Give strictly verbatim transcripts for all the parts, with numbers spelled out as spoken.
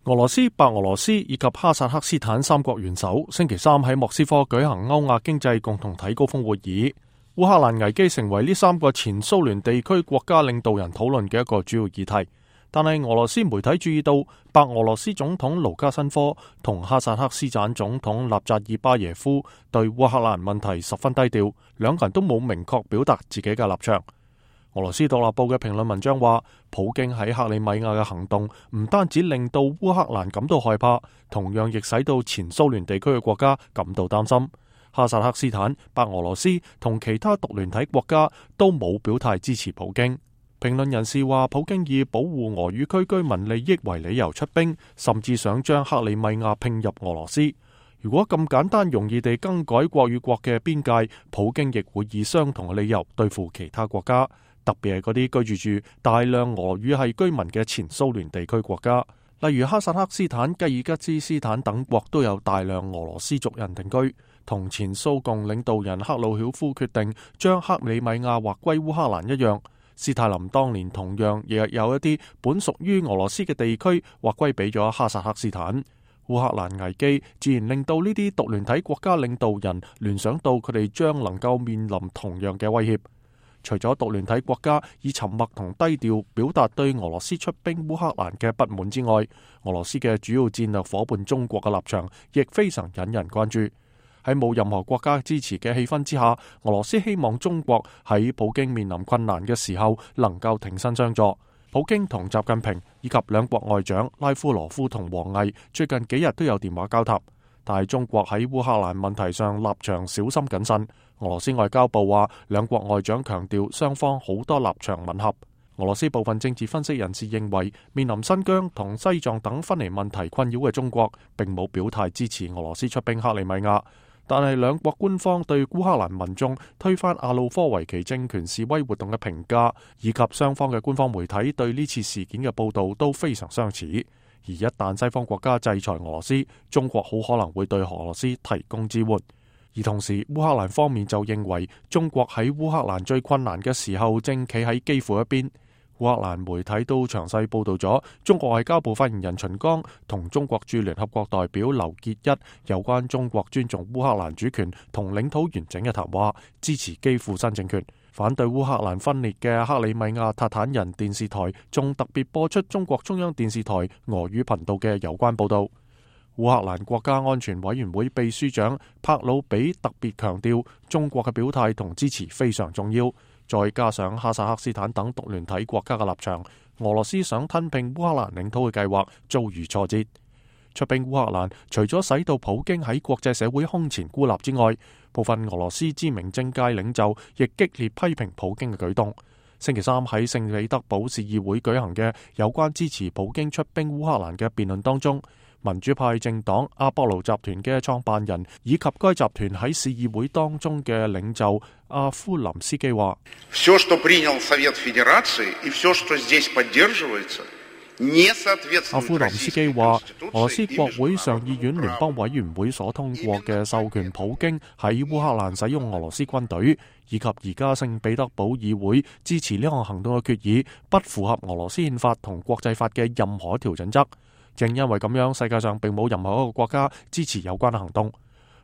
俄羅斯、白俄羅斯以及哈薩克斯坦三國元首星期三喺莫斯科舉行歐亞經濟共同體高峰會議。烏克蘭危機成為呢三個前蘇聯地區國家領導人討論嘅一個主要議題。但係俄羅斯媒體注意到，白俄羅斯總統盧卡申科同哈薩克斯坦總統納扎爾巴耶夫對烏克蘭問題十分低調，兩個人都冇明確表達自己嘅立場。俄羅斯獨立報嘅評論文章話，普京喺克里米亞嘅行動唔單止令到烏克蘭感到害怕，同樣亦使到前蘇聯地區嘅國家感到擔心。哈薩克斯坦、白俄羅斯同其他獨聯體國家都冇表態支持普京。評論人士話，普京以保護俄語區居民利益為理由出兵，甚至想將克里米亞併入俄羅斯。如果咁簡單容易地更改國與國嘅邊界，普京亦會以相同嘅理由對付其他國家，特別係嗰啲居住住大量俄語系居民嘅前蘇聯地區國家，例如哈薩克斯坦、吉爾吉斯斯坦等國都有大量俄羅斯族人定居。同前蘇共領導人克魯曉夫決定將克里米亞劃歸烏克蘭一樣，斯大林當年同樣亦有一啲本屬於俄羅斯嘅地區劃歸俾咗哈薩克斯坦。烏克蘭危機自然令到呢啲獨聯體國家領導人聯想到佢哋將能夠面臨同樣嘅威脅。除咗獨聯體國家以沉默同低調表達對俄羅斯出兵烏克蘭嘅不滿之外，俄羅斯嘅主要戰略夥伴中國嘅立場亦非常引人關注。喺冇任何國家支持嘅氣氛之下，俄羅斯希望中國喺普京面臨困難嘅時候能夠挺身相助。普京同習近平以及兩國外長拉夫羅夫同王毅最近幾日都有電話交談，但係中國喺烏克蘭問題上立場小心謹慎。俄羅斯外交部話，兩國外長強調雙方好多立場吻合。俄羅斯部分政治分析人士認為，面臨新疆同西藏等分離問題困擾嘅中國並冇表態支持俄羅斯出兵克里米亞。但係兩國官方對烏克蘭民眾推翻亞努科維奇政權示威活動嘅評價，以及雙方嘅官方媒體對呢次事件嘅報導都非常相似。而一旦西方國家制裁俄羅斯，中國好可能會對俄羅斯提供支援。而同時，烏克蘭方面就認為中國喺烏克蘭最困難嘅時候正企喺基輔一邊。烏克蘭媒體都詳細報導咗中國外交部發言人秦剛同中國駐聯合國代表劉結一有關中國尊重烏克蘭主權同領土完整嘅談話，支持基輔新政權。反對烏克蘭分裂嘅克里米亞塔坦人電視台仲特別播出中國中央電視台俄語頻道嘅有關報導。烏克蘭國家安全委員會秘書長帕魯比特別強調，中國嘅表態同支持非常重要。再加上哈薩克斯坦等獨聯體國家嘅立場，俄羅斯想吞併烏克蘭領土嘅計劃遭遇挫折。出兵烏克蘭除咗使到普京喺國際社會空前孤立之外，部分俄羅斯知名政界領袖亦激烈批評普京嘅舉動。星期三喺聖彼得堡市議會舉行嘅有關支持普京出兵烏克蘭嘅辯論當中，民主派政黨阿波羅集團嘅創辦人以及該集團喺市議會當中嘅領袖阿夫林斯基話：阿夫林斯基話，俄羅斯國會上議院聯邦委員會所通過嘅授權普京喺烏克蘭使用俄羅斯軍隊，以及而家聖彼得堡議會支持呢項行動嘅決議，不符合俄羅斯憲法同國際法嘅任何一條準則。正因為咁樣，世界上並冇任何一個國家支持有關嘅行動。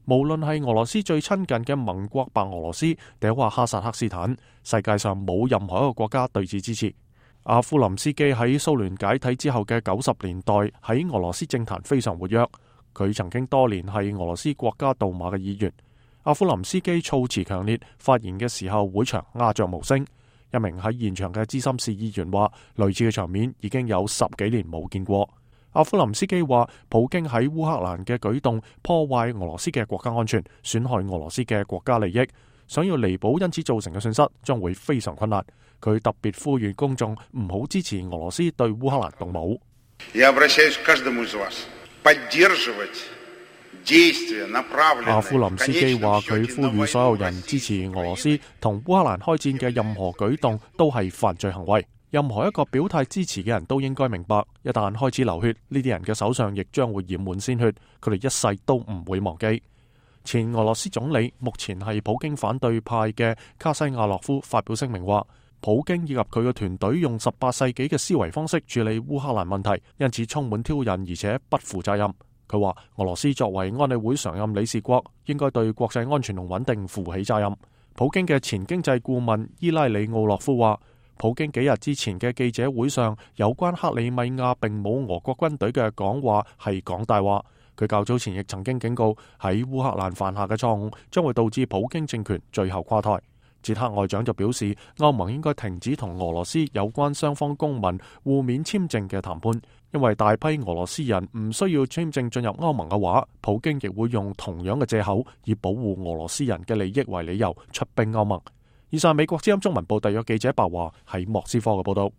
無論係俄羅斯最親近嘅盟國白俄羅斯，定話哈薩克斯坦，世界上冇任何一個國家對此支持。阿夫林斯基喺蘇聯解體之後嘅九十年代喺俄羅斯政壇非常活躍，佢曾經多年係俄羅斯國家杜馬嘅議員。阿夫林斯基措辭強烈，發言嘅時候會場鴉雀無聲。一名喺現場嘅資深市議員話，類似嘅場面已經有十幾年冇見過。阿夫林斯基話，普京喺烏克蘭嘅舉動破壞俄羅斯嘅國家安全，損害俄羅斯嘅國家利益，想要彌補因此造成嘅損失將會非常困難。佢特別呼籲公眾唔好支持俄羅斯對烏克蘭動武。阿夫林斯基話，佢呼籲所有人支持俄羅斯同烏克蘭開戰嘅任何舉動都係犯罪行為。任何一個表態支持嘅人都應該明白，一旦開始流血，呢啲人嘅手上亦將會染滿鮮血，佢哋一世都唔會忘記。前俄羅斯總理，目前係普京反對派嘅卡西亞洛夫發表聲明話，普京以及佢嘅團隊用十八世紀嘅思維方式處理烏克蘭問題，因此充滿挑釁而且不負責任。佢話俄羅斯作為安理會常任理事國，應該對國際安全同穩定負起責任。普京嘅前經濟顧問伊拉里奧洛夫話，普京幾日之前嘅記者會上有關克里米亞並冇俄國軍隊嘅講話係講大話。佢較早前亦曾經警告，喺烏克蘭犯下嘅錯誤將會導致普京政權最後垮台。捷克外長就表示，歐盟應該停止同俄羅斯有關雙方公民互免簽證嘅談判，因為大批俄羅斯人唔需要簽證進入歐盟嘅話，普京亦會用同樣嘅借口，以保護俄羅斯人嘅利益為理由出兵歐盟。以上美國之音中文部特約記者白華喺莫斯科嘅報道。